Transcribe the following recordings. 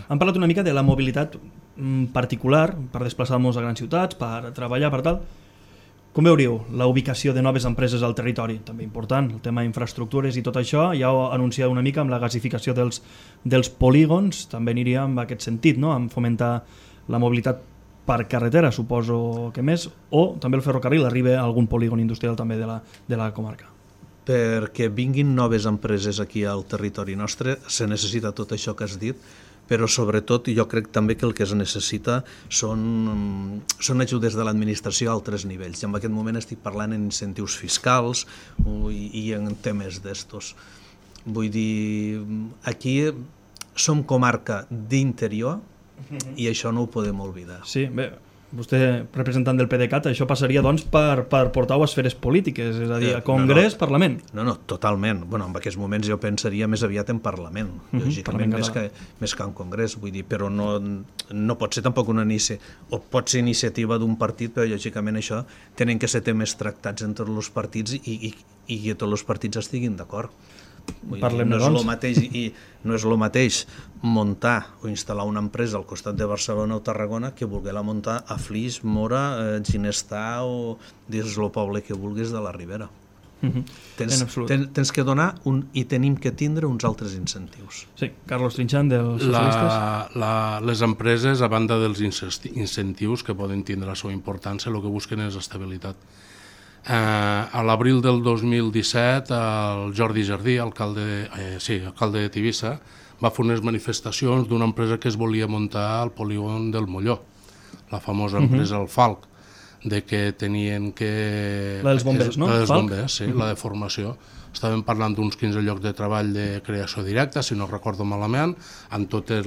Hem parlat una mica de la mobilitat particular per desplaçar-nos a grans ciutats, per treballar, per tal. Com veuríeu la ubicació de noves empreses al territori? També important, el tema d'infraestructures i tot això. Ja ho anunciava una mica amb la gasificació dels polígons, també aniria en aquest sentit, no? En fomentar la mobilitat per carretera, suposo que més, o també el ferrocarril arriba a algun polígon industrial també de la comarca. Perquè vinguin noves empreses aquí al territori nostre se necessita tot això que has dit, però sobretot jo crec també que el que es necessita són ajudes de l'administració a altres nivells. I en aquest moment estic parlant en incentius fiscals i en temes d'estos. Vull dir, aquí som comarca d'interior i això no ho podem oblidar. Sí, bé, vostè, representant del PDeCAT, això passaria doncs per portar-ho a esferes polítiques, és a dir, a Congrés, Parlament. No, totalment. Bueno, en aquests moments jo pensaria més aviat en Parlament, lògicament, més que en Congrés, vull dir, però no pot ser tampoc una o pot ser iniciativa d'un partit, però lògicament això tenen que ser temes tractats entre els partits i que tots els partits estiguin d'acord. No és el mateix muntar o instal·lar una empresa al costat de Barcelona o Tarragona que voler-la muntar a Flix, Móra, Ginestar o dins el poble que vulguis de la Ribera. Tens que donar i tenim que tindre uns altres incentius. Sí, Carlos Trinxant, dels socialistes. Les empreses, a banda dels incentius que poden tindre la seva importància, el que busquen és estabilitat. A l'abril del 2017 el Jordi Jardí, alcalde de Tivissa, va fer unes manifestacions d'una empresa que es volia muntar al polígon del Molló, la famosa empresa El Falc, de que tenien que... La dels bombers, no? La dels bombers, sí, la de formació. Estàvem parlant d'uns 15 llocs de treball de creació directa, si no recordo malament, amb totes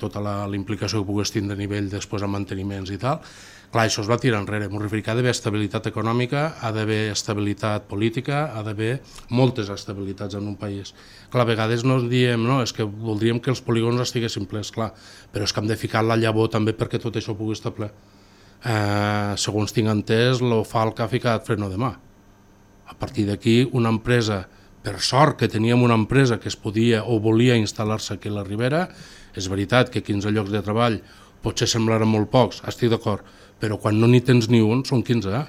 tota la implicació que pogués tindre a nivell després amb manteniments i tal. Clar, això es va tirar enrere. M'ho referia que ha d'haver estabilitat econòmica, ha d'haver estabilitat política, ha d'haver moltes estabilitats en un país. Clar, a vegades no diem, no, és que voldríem que els polígons estiguessin plens, clar, però és que hem de ficar la llavor també perquè tot això pugui estar ple. Segons tinc entès, el Falc ha ficat freno de mà. A partir d'aquí, una empresa, per sort que teníem una empresa que es podia o volia instal·lar-se aquí a la Ribera, és veritat que 15 llocs de treball potser semblaran molt pocs, estic d'acord, però quan no n'hi tens ni un són 15,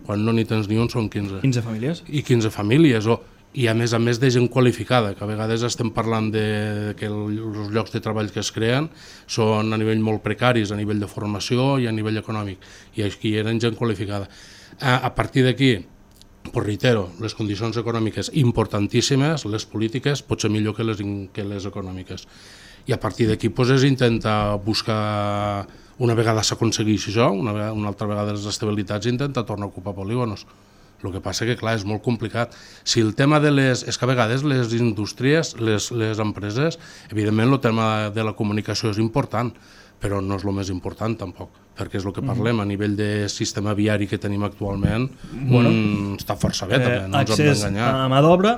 Quan no n'hi tens ni un són 15. 15 famílies? I 15 famílies, i a més de gent qualificada, que a vegades estem parlant que els llocs de treball que es creen són a nivell molt precaris, a nivell de formació i a nivell econòmic, i aquí eren gent qualificada. A partir d'aquí, pues reitero, les condicions econòmiques importantíssimes, les polítiques potser millor que les econòmiques. I a partir d'aquí és intentar buscar, una vegada s'aconsegueixi això, una altra vegada les estabilitats, intentar tornar a ocupar polígonos. El que passa que, clar, és molt complicat. Si el tema és que a vegades les indústries, les empreses, evidentment el tema de la comunicació és important, però no és el més important tampoc, perquè és el que parlem, a nivell de sistema viari que tenim actualment, està força bé també, no ens hem d'enganyar. Accés a mà d'obra,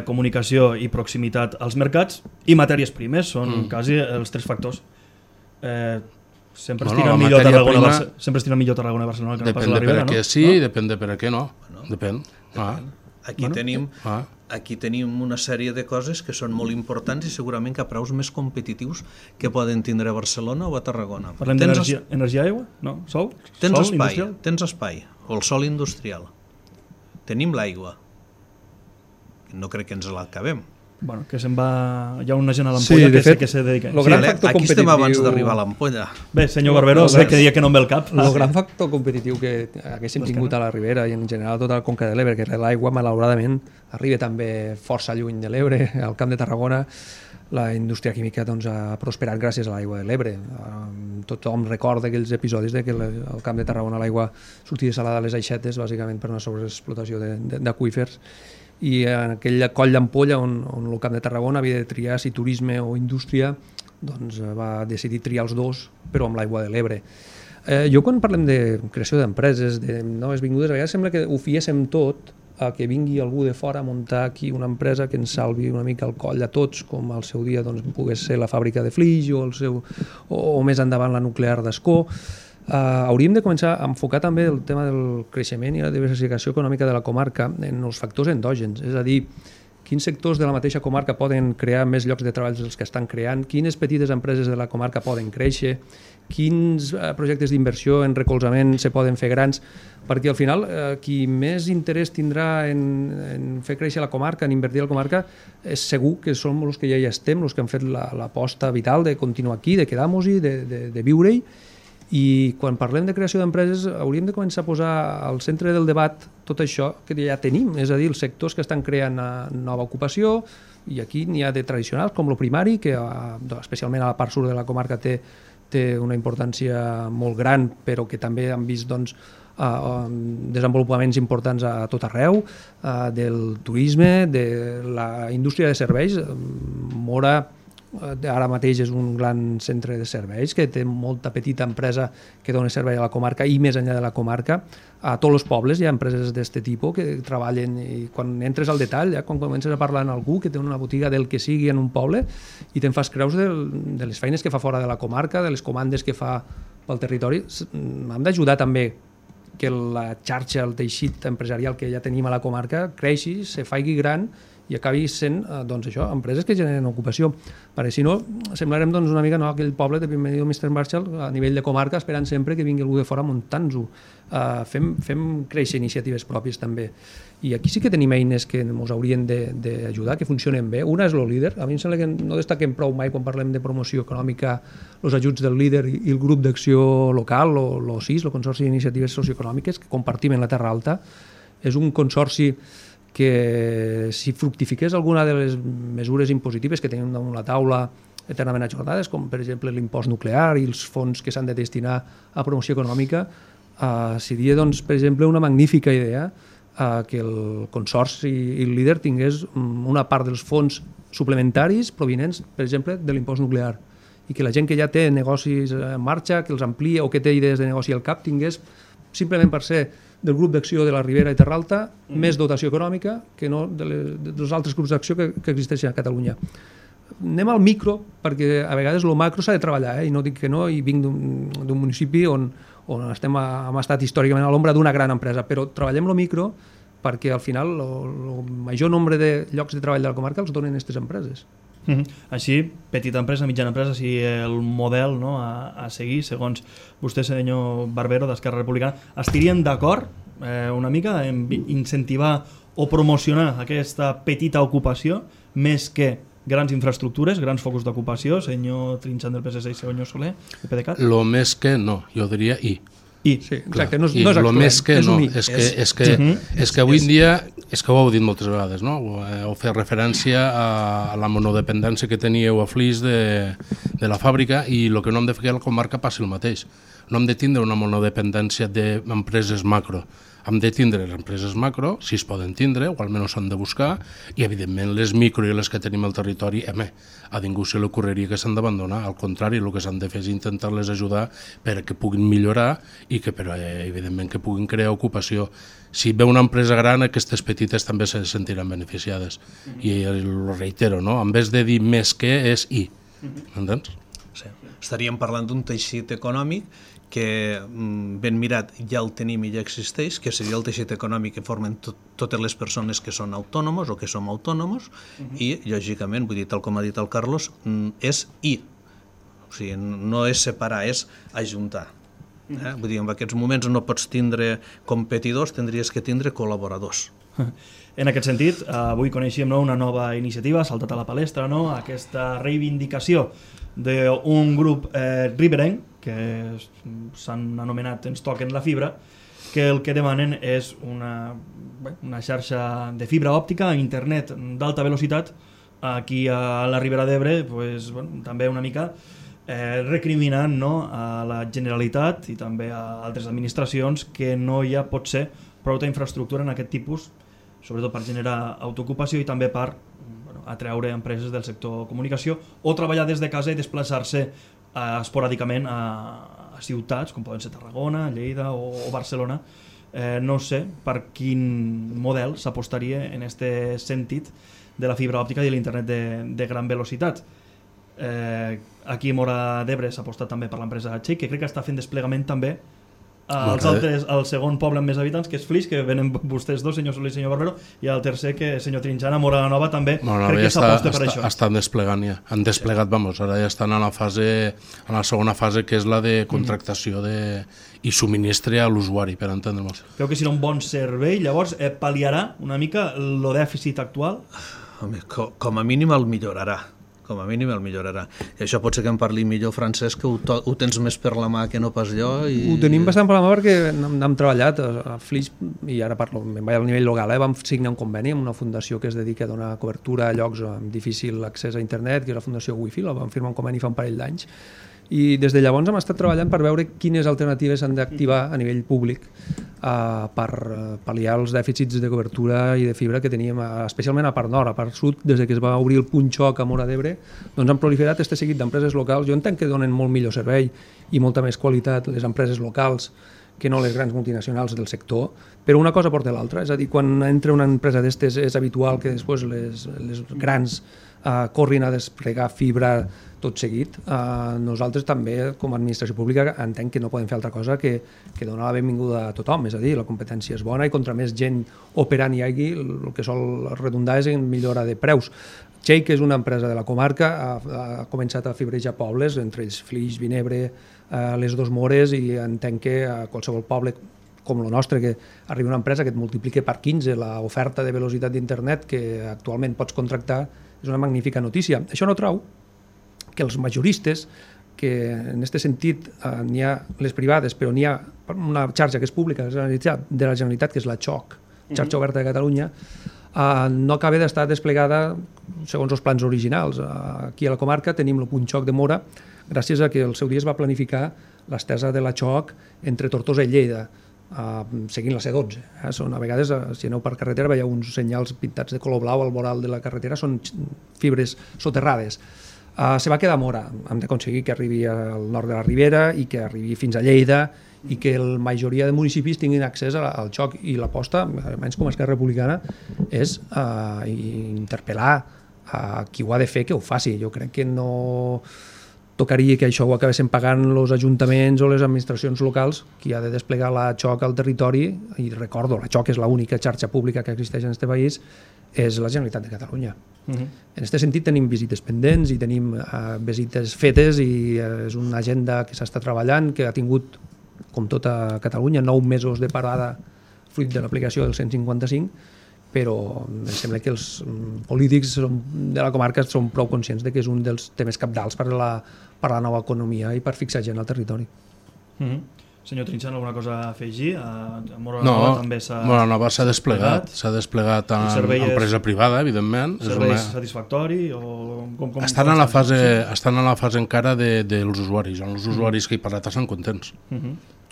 comunicació i proximitat als mercats i matèries primes, són quasi els tres factors. Sempre estiren millor Tarragona i Barcelona que no pas la Ribera, no? Depèn de per a què sí i depèn de per a què no. Depèn. Aquí tenim una sèrie de coses que són molt importants i segurament que a preus més competitius que poden tindre a Barcelona o a Tarragona. Parlem d'energia i aigua? No? Sol? Tens espai, o el sol industrial. Tenim l'aigua. No crec que ens l'acabem. Bueno, que se'n va... Hi ha una gent a l'ampolla que se dedica. Aquí estem abans d'arribar a l'ampolla. Bé, senyor Barberó, sé que dia que no em ve el cap. El gran factor competitiu que haguéssim tingut a la Ribera i en general a tota la Conca de l'Ebre, que l'aigua, malauradament, arriba també força lluny de l'Ebre, al Camp de Tarragona. La indústria química ha prosperat gràcies a l'aigua de l'Ebre. Tothom recorda aquells episodis que al Camp de Tarragona l'aigua sortia salada a les aixetes, bàsicament per una sobreexplotació d'aqüífers, i en aquell coll d'ampolla on el Camp de Tarragona havia de triar si turisme o indústria, doncs va decidir triar els dos, però amb l'aigua de l'Ebre. Jo quan parlem de creació d'empreses, de noves vingudes, a vegades sembla que ho fiéssim tot a que vingui algú de fora a muntar aquí una empresa que ens salvi una mica el coll a tots, com al seu dia pogués ser la fàbrica de Flix o més endavant la nuclear d'Ascó. Hauríem de començar a enfocar també el tema del creixement i la diversificació econòmica de la comarca en els factors endògens, és a dir, quins sectors de la mateixa comarca poden crear més llocs de treball dels que estan creant, quines petites empreses de la comarca poden créixer, quins projectes d'inversió en recolzament se poden fer grans, perquè al final qui més interès tindrà en fer créixer la comarca, en invertir a la comarca, és segur que som els que ja hi estem, els que han fet l'aposta vital de continuar aquí, de quedar-nos-hi, de viure-hi. I quan parlem de creació d'empreses hauríem de començar a posar al centre del debat tot això que ja tenim, és a dir, els sectors que estan creant nova ocupació, i aquí n'hi ha de tradicionals com el primari, que especialment a la part sud de la comarca té una importància molt gran, però que també han vist desenvolupaments importants a tot arreu, del turisme, de la indústria de serveis. Móra ara mateix és un gran centre de serveis que té molta petita empresa que dona servei a la comarca i més enllà de la comarca. A tots els pobles hi ha empreses d'aquest tipus que treballen, i quan entres al detall, quan comences a parlar amb algú que té una botiga del que sigui en un poble i te'n fas creus de les feines que fa fora de la comarca, de les comandes que fa pel territori, hem d'ajudar també que la xarxa, el teixit empresarial que ja tenim a la comarca creixi, se faci gran i acabi sent empreses que generen ocupació, perquè si no semblarem una mica aquell poble de Bienvenido Mr. Marshall a nivell de comarca esperant sempre que vingui algú de fora muntant-ho. Fem créixer iniciatives pròpies també, i aquí sí que tenim eines que ens haurien d'ajudar, que funcionen bé. Una és el líder. A mi em sembla que no destaquem prou mai quan parlem de promoció econòmica els ajuts del líder i el grup d'acció local, el CIS, el Consorci d'Iniciatives Socioeconòmiques, que compartim en la Terra Alta. És un consorci que si fructifiqués alguna de les mesures impositives que tenim damunt la taula eternament ajornades, com per exemple l'impost nuclear i els fons que s'han de destinar a promoció econòmica, seria, per exemple, una magnífica idea que el Consorci i el líder tingués una part dels fons suplementaris provinents, per exemple, de l'impost nuclear, i que la gent que ja té negocis en marxa, que els amplia o que té idees de negoci al cap, tingués, simplement per ser del grup d'acció de la Ribera i Terra Alta, més dotació econòmica que no dels altres grups d'acció que existeixen a Catalunya. Anem al micro, perquè a vegades el macro s'ha de treballar, i no dic que no, i vinc d'un municipi on hem estat històricament a l'ombra d'una gran empresa, però treballem el micro perquè al final el major nombre de llocs de treball de la comarca els donen aquestes empreses. Així, petita empresa, mitjana empresa, si el model a seguir, segons vostè, senyor Barbero, d'Esquerra Republicana, estarien d'acord una mica en incentivar o promocionar aquesta petita ocupació més que grans infraestructures, grans focus d'ocupació, senyor Trinxant del PSC i senyor Soler, de PDeCAT? Lo més que no, jo diria i. Sí, exacte, no és excloent, més que no, és que avui en dia, és que ho heu dit moltes vegades, no? Heu fet referència a la monodependència que teníeu a Flix de la fàbrica, i el que no hem de fer a la comarca passi el mateix. No hem de tindre una monodependència d'empreses macro. Hem de tindre les empreses macro, si es poden tindre, o almenys s'han de buscar, i evidentment les micro i les que tenim al territori, a ningú se li ocorreria que s'han d'abandonar. Al contrari, el que s'han de fer és intentar-les ajudar perquè puguin millorar i que, evidentment, que puguin crear ocupació. Si ve una empresa gran, aquestes petites també se sentiran beneficiades. I ho reitero, no? En vez de dir més que, és i. Entens? Sí. Estaríem parlant d'un teixit econòmic que ben mirat ja el tenim i ja existeix, que seria el teixit econòmic que formen totes les persones que són autònomos o que som autònomos, i, lògicament, vull dir, tal com ha dit el Carlos, és i. O sigui, no és separar, és ajuntar. Vull dir, en aquests moments no pots tindre competidors, tindries que tindre col·laboradors. En aquest sentit, avui coneixem una nova iniciativa, ha saltat a la palestra, aquesta reivindicació d'un grup riberenc, que s'han anomenat Ens toquen la fibra, que el que demanen és una xarxa de fibra òptica, internet d'alta velocitat, aquí a la Ribera d'Ebre, també una mica recriminant a la Generalitat i també a altres administracions que no hi ha potser prou infraestructura en aquest tipus, sobretot per generar autoocupació i també per atreure empreses del sector comunicació o treballar des de casa i desplaçar-se esporàdicament a ciutats com poden ser Tarragona, Lleida o Barcelona. No sé per quin model s'apostaria en aquest sentit de la fibra òptica i l'internet de gran velocitat. Aquí a Móra d'Ebre s'ha apostat també per l'empresa Check, que crec que està fent desplegament també el segon poble amb més habitants, que és Flix, que venen vostès dos, senyor Soler i senyor Barbero, i el tercer, que senyor Trinxana, Móra la Nova, també crec que s'aposta per això. Estan desplegant ja, han desplegat, ara ja estan en la segona fase, que és la de contractació i subministre a l'usuari, per entendre-nos. Creu que serà un bon servei, llavors pal·liarà una mica el dèficit actual? Home, com a mínim el millorarà. I això pot ser que em parli millor, Francesc, que ho tens més per la mà que no pas jo. Ho tenim bastant per la mà perquè hem treballat a Flix, i ara parlo al nivell local, vam signar un conveni amb una fundació que es dedica a donar cobertura a llocs amb difícil accés a internet, que és la Fundació Wi-Fi, la vam firmar un conveni fa un parell d'anys, i des de llavors hem estat treballant per veure quines alternatives s'han d'activar a nivell públic per pal·liar els dèficits de cobertura i de fibra que teníem, especialment a part nord. A part sud, des que es va obrir el punt xoc a Móra d'Ebre, doncs han proliferat aquest seguit d'empreses locals. Jo entenc que donen molt millor servei i molta més qualitat les empreses locals que no les grans multinacionals del sector, però una cosa porta l'altra. És a dir, quan entra una empresa d'estes és habitual que després les grans corrin a desplegar fibra tot seguit. Nosaltres també, com a administració pública, entenc que no podem fer altra cosa que donar la benvinguda a tothom, és a dir, la competència és bona i contra més gent operant hi hagi, el que sol redundar és en millora de preus. Txell, que és una empresa de la comarca, ha començat a fibrejar pobles, entre ells Flix, Vinebre, les Dos Mores, i entenc que a qualsevol poble com el nostre, que arribi una empresa que et multipliqui per 15 l'oferta de velocitat d'internet que actualment pots contractar, és una magnífica notícia. Això no trau que els majoristes, que en aquest sentit n'hi ha les privades, però n'hi ha una xarxa que és pública de la Generalitat, que és la XOC, Xarxa Oberta de Catalunya, no acaba d'estar desplegada segons els plans originals. Aquí a la comarca tenim el punt xoc de Móra, gràcies a que el seu dia es va planificar l'estesa de la XOC entre Tortosa i Lleida, seguint la C12. Són, a vegades, si aneu per carretera, veieu uns senyals pintats de color blau al voral de la carretera, són fibres soterrades. Se va quedar a Móra. Hem d'aconseguir que arribi al nord de la Ribera i que arribi fins a Lleida i que la majoria de municipis tinguin accés al xoc, i l'aposta, almenys com a Esquerra Republicana, és interpel·lar a qui ho ha de fer que ho faci. Jo crec que no tocaria que això ho acabessin pagant els ajuntaments o les administracions locals, qui ha de desplegar la XOC al territori, i recordo, la XOC és l'única xarxa pública que existeix en aquest país, és la Generalitat de Catalunya. En aquest sentit tenim visites pendents i tenim visites fetes, i és una agenda que s'està treballant, que ha tingut, com tota Catalunya, 9 mesos de parada fruit de l'aplicació del 155, però em sembla que els polítics de la comarca són prou conscients de que és un dels temes cabdals per a la nova economia i per fixar gent al territori. Senyor Trinxant, alguna cosa a afegir? A Móra la Nova també s'ha Móra la Nova s'ha desplegat en empresa privada, evidentment. Servei satisfactori? Estan a la fase encara dels usuaris. Els usuaris que hi parlat estan contents.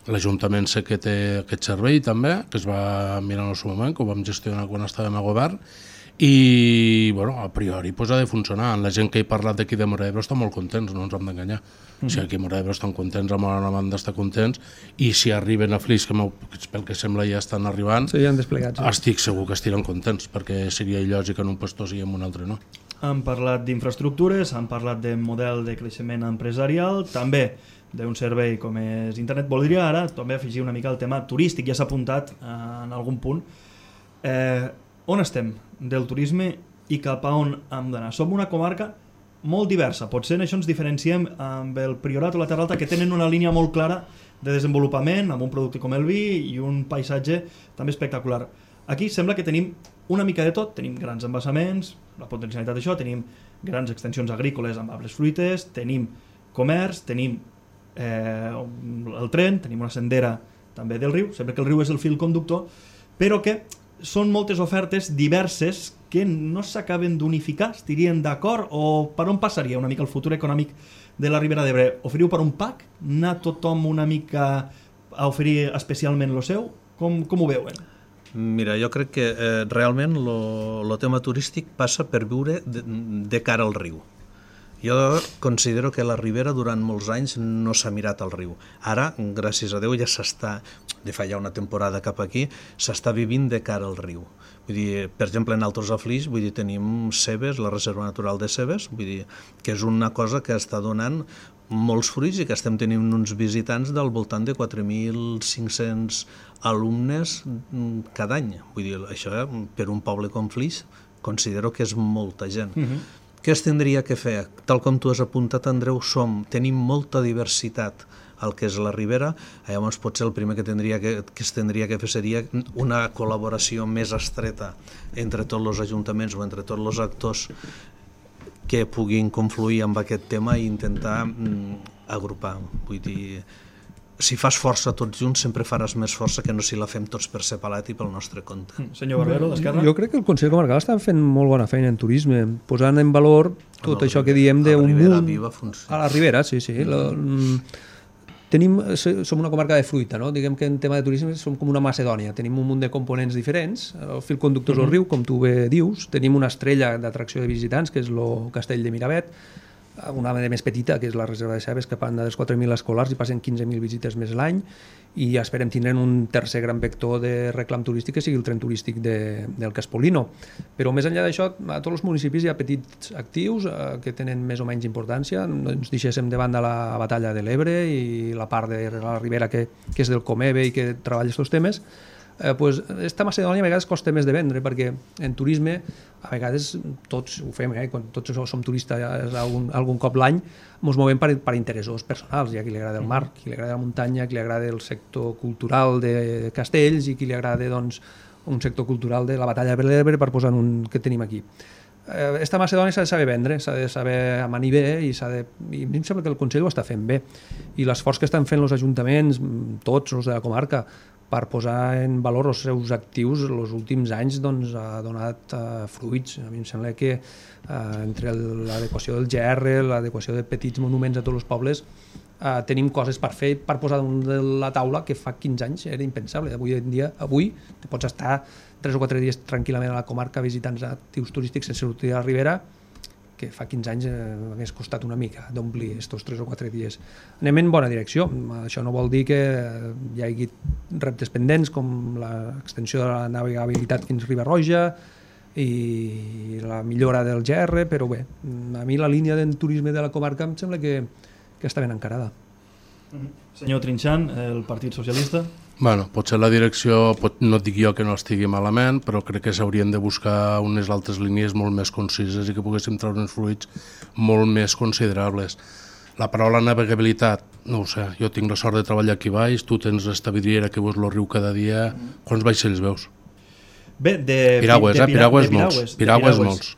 L'Ajuntament sé que té aquest servei també, que es va mirar en el seu moment, que ho vam gestionar quan estàvem a govern, i a priori ha de funcionar. La gent que he parlat d'aquí de Móra d'Ebre estan molt contents, no ens hem d'enganyar. Si aquí a Móra d'Ebre estan contents, a Móra Nova han d'estar contents, i si arriben a Flix, que pel que sembla ja estan arribant, estic segur que estiran contents, perquè seria il·lògic en un puesto i en un altre no. Han parlat d'infraestructures, han parlat de model de creixement empresarial, també d'un servei com és internet. Voldria ara també afegir una mica el tema turístic, ja s'ha apuntat en algun punt. On estem del turisme i cap a on hem d'anar? Som una comarca molt diversa, potser en això ens diferenciem amb el Priorat o la Terra Alta, que tenen una línia molt clara de desenvolupament, amb un producte com el vi i un paisatge també espectacular. Aquí sembla que tenim una mica de tot, tenim grans embassaments, la potencialitat d'això, tenim grans extensions agrícoles amb arbres fruiters, tenim comerç, tenim el tren, tenim una sendera també del riu, sempre que el riu és el fil conductor, però que són moltes ofertes diverses que no s'acaben d'unificar. Estirien d'acord? O per on passaria una mica el futur econòmic de la Ribera d'Ebre? Oferiu per un pack? Anar tothom una mica a oferir especialment el seu? Com ho veuen? Mira, jo crec que realment el tema turístic passa per viure de cara al riu. Jo considero que la Ribera durant molts anys no s'ha mirat al riu. Ara, gràcies a Déu, ja s'està... de fa ja una temporada cap aquí, s'està vivint de cara al riu. Vull dir, per exemple, en altres Flix, vull dir, tenim Cebes, la Reserva Natural de Cebes, vull dir, que és una cosa que està donant molts fruits i que estem tenint uns visitants del voltant de 4.500 alumnes cada any. Vull dir, això per un poble com Flix considero que és molta gent. Què es tindria que fer? Tal com tu has apuntat, Andreu, tenim molta diversitat al que és la Ribera, llavors potser el primer que es tindria que fer seria una col·laboració més estreta entre tots els ajuntaments o entre tots els actors que puguin confluir amb aquest tema i intentar agrupar. Vull dir, si fas força tots junts sempre faràs més força que no si la fem tots per separat i pel nostre compte. Senyor Barbero, d'Esquerra? Jo crec que el Consell Comarcal està fent molt bona feina en turisme, posant en valor tot això que diem d'un munt... A la Ribera, sí. Som una comarca de fruita, no? Diguem que en tema de turisme som com una Macedònia, tenim un munt de components diferents, el fil conductor és el riu, com tu bé dius, tenim una estrella d'atracció de visitants, que és el castell de Miravet, una de més petita, que és la Reserva de Cebes, que van dels 4.000 escolars i passen 15.000 visites més l'any, i esperem tindre un tercer gran vector de reclam turístic, que sigui el tren turístic del Caspolino. Però més enllà d'això, a tots els municipis hi ha petits actius que tenen més o menys importància. Ens deixéssim de banda la batalla de l'Ebre i la part de la Ribera que és del Comebe i que treballa aquests temes. Esta Macedònia a vegades costa més de vendre perquè en turisme a vegades tots ho fem, quan tots som turistes algun cop l'any ens movem per interessos personals. Hi ha qui li agrada el mar, qui li agrada la muntanya, qui li agrada el sector cultural de castells i qui li agrada un sector cultural de la batalla de l'Ebre, per posar un que tenim aquí. Esta Macedònia s'ha de saber vendre, s'ha de saber amanir bé i a mi em sembla que el Consell ho està fent bé i l'esforç que estan fent els ajuntaments, tots els de la comarca, per posar en valor els seus actius els últims anys ha donat fruits. A mi em sembla que entre l'adequació del GR, l'adequació de petits monuments a tots els pobles, tenim coses per fer, per posar damunt de la taula que fa 15 anys era impensable. Avui en dia, pots estar 3 o 4 dies tranquil·lament a la comarca visitant actius turístics sense sortir a la Ribera, que fa 15 anys hagués costat una mica d'omplir aquests 3 o 4 dies. Anem en bona direcció. Això no vol dir que hi hagi reptes pendents com l'extensió de la navegabilitat fins Riba-roja i la millora del GR, però bé, a mi la línia del turisme de la comarca em sembla que està ben encarada. Senyor Trinxant, el Partit Socialista? Bueno, potser la direcció, no dic jo que no estigui malament, però crec que s'haurien de buscar unes altres línies molt més concises i que poguéssim treure uns fruits molt més considerables. La paraula navegabilitat, no ho sé, jo tinc la sort de treballar aquí baix, tu tens esta vidriera que veus el riu cada dia, quants vaixells veus? Bé, piragües molts.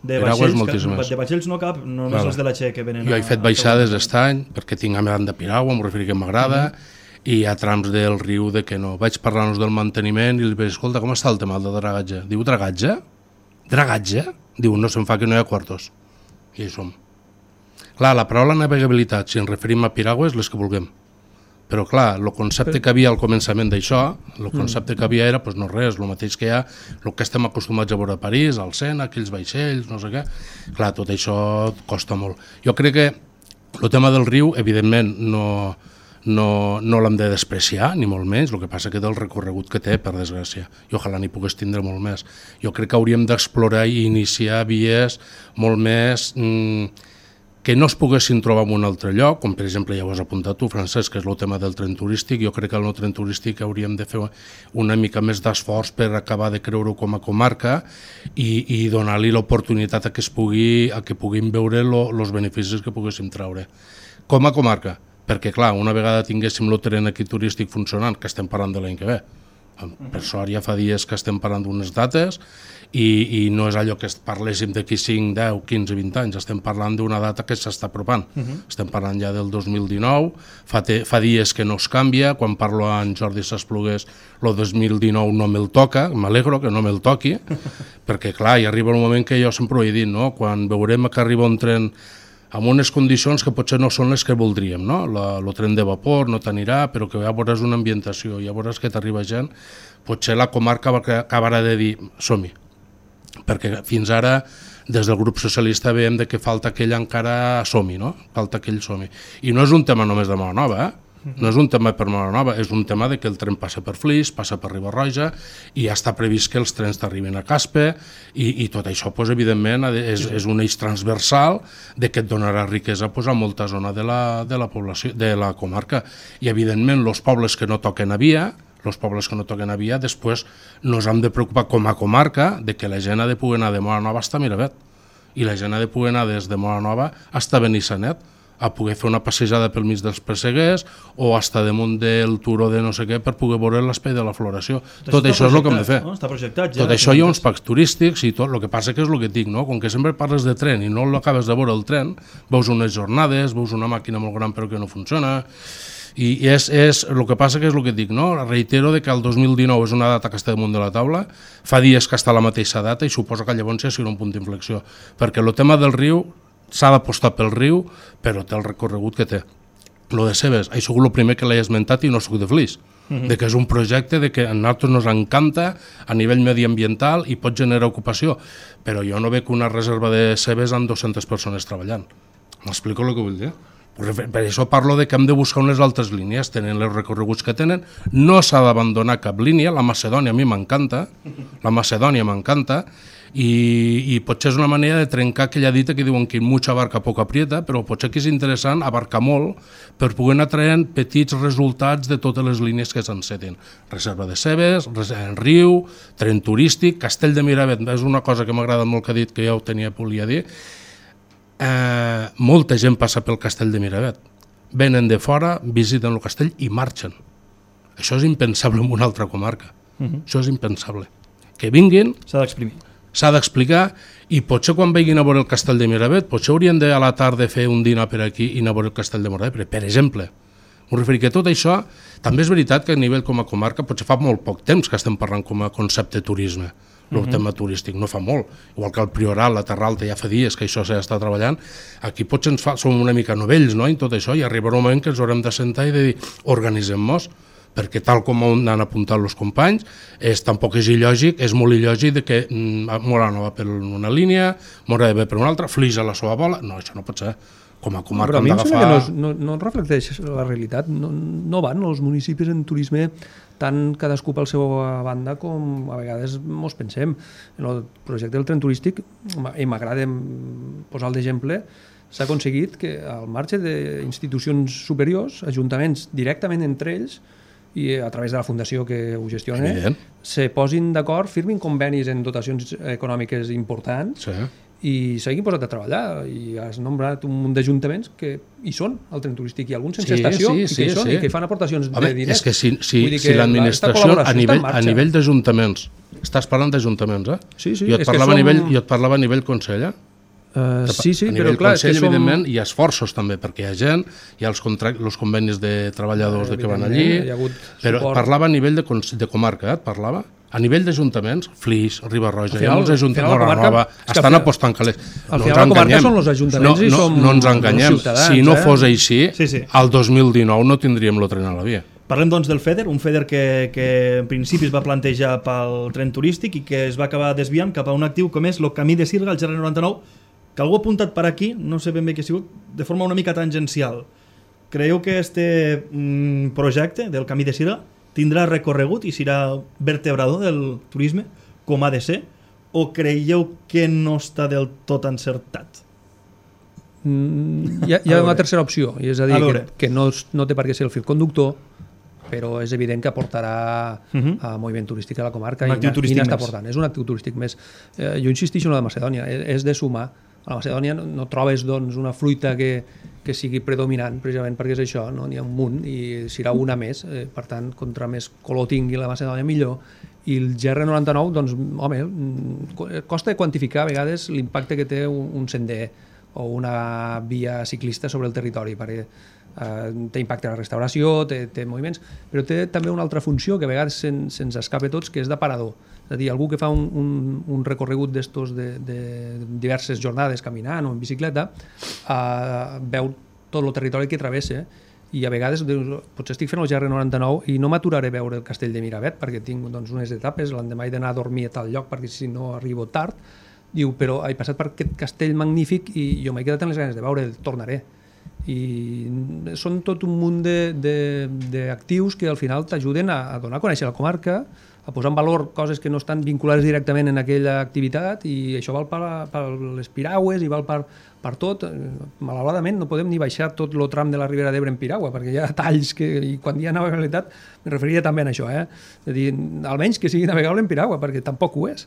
De vaixells no cap, només els de la Che que venen. Jo he fet baixades aquest any perquè tinc a més de piragua, em referir que m'agrada, i hi ha trams del riu de que no. Vaig parlar-nos del manteniment i li vaig dir, escolta, com està el tema del dragatge? Diu, dragatge? Dragatge? Diu, no se'n fa que no hi ha quartos. I hi som. Clar, la paraula navegabilitat, si ens referim a piragües, les que vulguem. Però clar, el concepte que havia al començament d'això, el concepte que havia era, doncs no res, el mateix que hi ha, el que estem acostumats a veure a París, al Sena, aquells vaixells, no sé què. Clar, tot això costa molt. Jo crec que el tema del riu, evidentment, no l'hem de despreciar, ni molt menys, el que passa que del recorregut que té, per desgràcia, i ojalà n'hi pogués tindre molt més. Jo crec que hauríem d'explorar i iniciar vies molt més que no es poguessin trobar en un altre lloc, com per exemple ja ho has apuntat tu, Francesc, que és el tema del tren turístic. Jo crec que el tren turístic hauríem de fer una mica més d'esforç per acabar de creure-ho com a comarca i donar-li l'oportunitat a que puguin veure els beneficis que poguéssim treure. Com a comarca, perquè clar, una vegada tinguéssim el tren aquí turístic funcionant, que estem parlant de l'any que ve, per sort ja fa dies que estem parlant d'unes dates i no és allò que parléssim d'aquí 5, 10, 15, 20 anys, estem parlant d'una data que s'està apropant, estem parlant ja del 2019, fa dies que no es canvia, quan parlo amb Jordi Sasplugues el 2019 no me'l toca, m'alegro que no me'l toqui, perquè clar, hi arriba un moment que jo sempre ho he dit, no? Quan veurem que arriba un tren amb unes condicions que potser no són les que voldríem, no? El tren de vapor no t'anirà, però que ja veuràs una ambientació, ja veuràs que t'arriba gent, potser la comarca acabarà de dir som-hi, perquè fins ara des del grup socialista veiem que falta aquell encara som-hi, no? Falta aquell som-hi. I no és un tema només de Móra Nova, No és un tema per Móra-la-Nova, és un tema de que el tren passa per Flix, passa per Riba-roja i ja està previst que els trens t'arriben a Caspe i tot això, doncs, evidentment, és un eix transversal de que et donarà riquesa a molta zona de la població, de la comarca. I, evidentment, els pobles que no toquen a via, després nos hem de preocupar com a comarca de que la gent ha de poder anar de Móra-la-Nova fins a Miravet i la gent ha de poder anar des de Móra-la-Nova fins a Benissanet, a poder fer una passejada pel mig dels Presseguers o estar damunt del turó de no sé què per poder veure l'espai de la floració. Tot això és el que hem de fer. No? Està projectat ja. Tot això hi ha uns parcs turístics i tot. El que passa que és el que et dic, no? Com que sempre parles de tren i no l'acabes de veure el tren, veus unes jornades, veus una màquina molt gran però que no funciona. I el que passa que és el que et dic, no? Reitero que el 2019 és una data que està damunt de la taula, fa dies que està a la mateixa data i suposo que llavors ja serà un punt d'inflexió, perquè el tema del riu s'ha d'apostar pel riu, però té el recorregut que té. Lo de Cebes, he sigut el primer que l'he esmentat i no soc de Flix, de que és un projecte de que a nosaltres ens encanta a nivell mediambiental i pot generar ocupació, però jo no veig una reserva de Cebes amb 200 persones treballant. M'explico el que vull dir? Per això parlo de que hem de buscar unes altres línies, tenen els recorreguts que tenen, no s'ha d'abandonar cap línia, la Macedònia a mi m'encanta, i potser és una manera de trencar aquella dita que diuen que mucha barca poca aprieta, però potser que és interessant abarcar molt per poder anar traient petits resultats de totes les línies que s'enceten. Reserva de Cebes, riu, tren turístic, Castell de Miravet, és una cosa que m'agrada molt que ha dit, que ja ho volia dir. Molta gent passa pel Castell de Miravet, venen de fora, visiten el castell i marxen. Això és impensable en una altra comarca. Això és impensable. Que vinguin, s'ha d'explicar i potser quan vagin a veure el Castell de Miravet potser haurien de a la tarda fer un dinar per aquí i anar a veure el Castell de Miravet, per exemple. M'ho referir que tot això, també és veritat que a nivell com a comarca potser fa molt poc temps que estem parlant com a concepte turisme, el tema turístic, no fa molt, igual que el Priorat, la Terra Alta, ja fa dies que això s'està treballant, aquí potser som una mica novells, no?, en tot això, i arribarà un moment que ens haurem de sentar i de dir, organitzem-nos, perquè tal com han apuntat els companys, tampoc és il·lògic, és molt il·lògic que Móra-la-Nova per una línia, Móra-la-Nova per una altra, Flix a la seva bola, no, això no pot ser. Com a comarca hem d'agafar... Però a mi em sembla que no reflecteix la realitat, no van els municipis en turisme tant cadascú pel seu banda com a vegades mos pensem. En el projecte del tren turístic, i m'agrada posar d'exemple, s'ha aconseguit que al marge d'institucions superiors, ajuntaments directament entre ells, i a través de la fundació que ho gestiona, se posin d'acord, firmin convenis en dotacions econòmiques importants, i s'hagin posat a treballar, i has nombrat un munt d'ajuntaments que hi són al tren turístic, i alguns sense estació, i que hi són, i que fan aportacions de diners. És que si l'administració a nivell d'ajuntaments, estàs parlant d'ajuntaments, jo et parlava a nivell consell, Sí, però clar, evidentment hi ha esforços també, perquè hi ha gent, hi ha els convenis de treballadors que van allí, però parlava a nivell de comarca, parlava a nivell d'ajuntaments, Flix, Riba-roja, hi ha molts ajuntaments, Móra-la-Nova, estan apostant calés. Al final la comarca són els ajuntaments i som no ens enganyem, si no fos així, al 2019 no tindríem el tren a la via. Parlem doncs del FEDER, un FEDER que en principi es va plantejar pel tren turístic i que es va acabar desviant cap a un actiu com és el camí de Sirga, el GR99, que algú ha apuntat per aquí, no sé ben bé què ha sigut, de forma una mica tangencial. Creieu que este projecte del camí de Sirga tindrà recorregut i serà vertebrador del turisme, com ha de ser, o creieu que no està del tot encertat? Hi ha una tercera opció, i és a dir, que no té per què ser el fil conductor, però és evident que aportarà a moviment turístic a la comarca. Un actiu turístic més. És un actiu turístic més. Jo insistixo en la de Macedònia, és de sumar. A la Macedònia no trobes una fruita que sigui predominant, precisament perquè és això, n'hi ha un munt i serà una més, per tant, contra més color tingui la Macedònia millor. I el GR99, doncs, home, costa de quantificar a vegades l'impacte que té un sender o una via ciclista sobre el territori, perquè té impacte a la restauració, té moviments, però té també una altra funció que a vegades se'ns escapa a tots, que és d'aparador. És a dir, algú que fa un recorregut d'estos de diverses jornades caminant o en bicicleta, veu tot el territori que travessa i a vegades potser estic fent el GR99 i no m'aturaré a veure el Castell de Miravet perquè tinc unes etapes, l'endemà he d'anar a dormir a tal lloc perquè si no arribo tard. Diu, però he passat per aquest castell magnífic i jo m'he quedat amb les ganes de veure, tornaré. i són tot un munt d'actius que al final t'ajuden a donar a conèixer la comarca, a posar en valor coses que no estan vinculades directament en aquella activitat, i això val per les piragües i val per tot. Malauradament no podem ni baixar tot el tram de la Ribera d'Ebre en piragua, perquè hi ha talls i quan hi ha navegabilitat me referiria també a això, és a dir, almenys que sigui navegable en piragua, perquè tampoc ho és.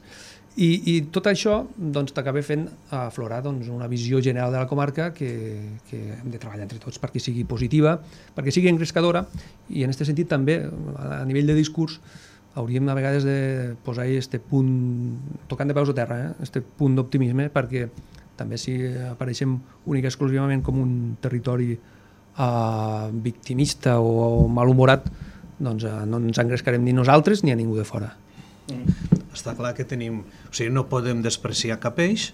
I tot això t'acaba fent aflorar una visió general de la comarca que hem de treballar entre tots perquè sigui positiva, perquè sigui engrescadora, i en aquest sentit també a nivell de discurs hauríem a vegades de posar aquest punt, tocant de peus a terra, aquest punt d'optimisme, perquè també si apareixem únic i exclusivament com un territori victimista o malhumorat, doncs no ens engrescarem ni nosaltres ni a ningú de fora. Està clar que no podem despreciar cap eix,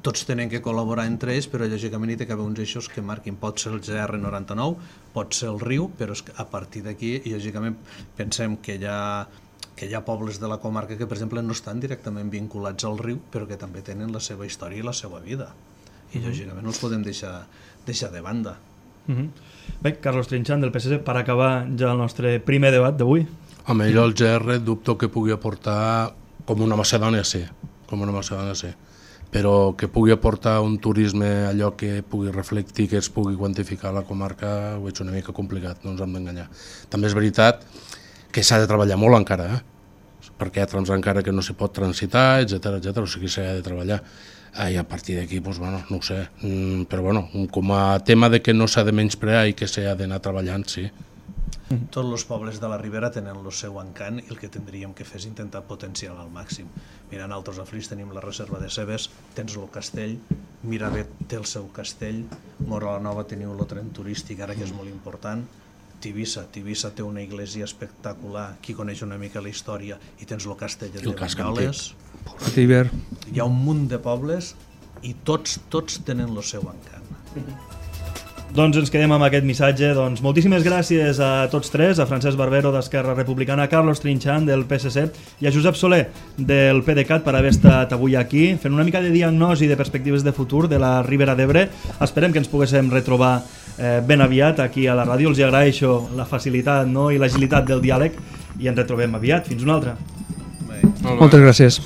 tots tenen que col·laborar entre ells, però lògicament hi ha d'haver uns eixos que marquin. Pot ser el GR99, pot ser el riu, però a partir d'aquí, lògicament, pensem que hi ha pobles de la comarca que, per exemple, no estan directament vinculats al riu, però que també tenen la seva història i la seva vida. I, lògicament, no els podem deixar de banda. Bé, Carlos Trinxant, del PSC, per acabar ja el nostre primer debat d'avui. Home, jo el GR dubto que pugui aportar com una Macedònia, sí, però que pugui aportar un turisme allò que pugui reflectir, que es pugui quantificar a la comarca, ho veig una mica complicat, no ens hem d'enganyar. També és veritat que s'ha de treballar molt encara, perquè hi ha trams encara que no s'hi pot transitar, etc, o sigui, s'ha de treballar. I a partir d'aquí, no ho sé, però com a tema de que no s'ha de menysprear i que s'ha d'anar treballant, sí. Tots els pobles de la Ribera tenen el seu encant i el que tindríem que fer és intentar potenciar-lo al màxim. Mira, nosaltres a Flix tenim la reserva de Cebes, tens el castell, Miravet té el seu castell, Móra la Nova teniu el tren turístic, ara que és molt important, Tivissa té una església espectacular, qui coneix una mica la història, i tens el castell de Banyoles. Hi ha un munt de pobles i tots tenen el seu encant. Doncs ens quedem amb aquest missatge. Doncs moltíssimes gràcies a tots tres, a Francesc Barbero d'Esquerra Republicana, a Carlos Trinxant del PSC i a Josep Soler del PDeCAT per haver estat avui aquí fent una mica de diagnosi de perspectives de futur de la Ribera d'Ebre. Esperem que ens poguéssim retrobar ben aviat aquí a la ràdio. Els agraeixo la facilitat i l'agilitat del diàleg i ens retrobem aviat. Fins una altra. Moltes gràcies.